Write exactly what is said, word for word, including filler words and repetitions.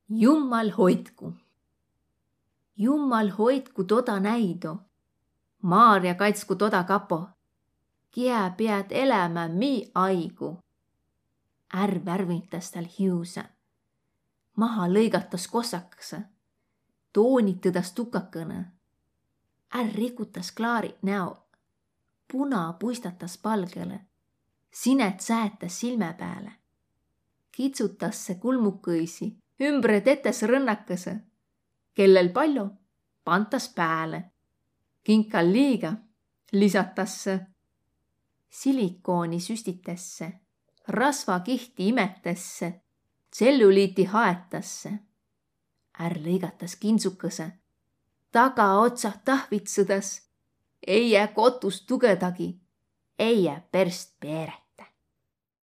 Jummal hoitku. Jummal hoitku toda näido. Maarja kaitsku toda kapo, kiä peat elämä mi aigu. Är värvintas tal hiusä. Maha lõigatas kossakõsõ. Toonitõdas tukakõnõ. Är rikutas klaarit näo. Puna puistatas palgele. Sinät säetäs silmä pääle. Kitsutasse kulmukõisi, ümbre tetäs rõnnakõsõ. Kellel pallo, pantas pääle. Kinkal liiga, lisatasse. Silikooni süstitasse. Rasvakihti imetässe. Tselluliiti haetasse. Är lõigatas kindsukõsõ. Tagaotsa tahvitsõdas. Ei jää kotus tugõdagi. Ei jää perst peeret.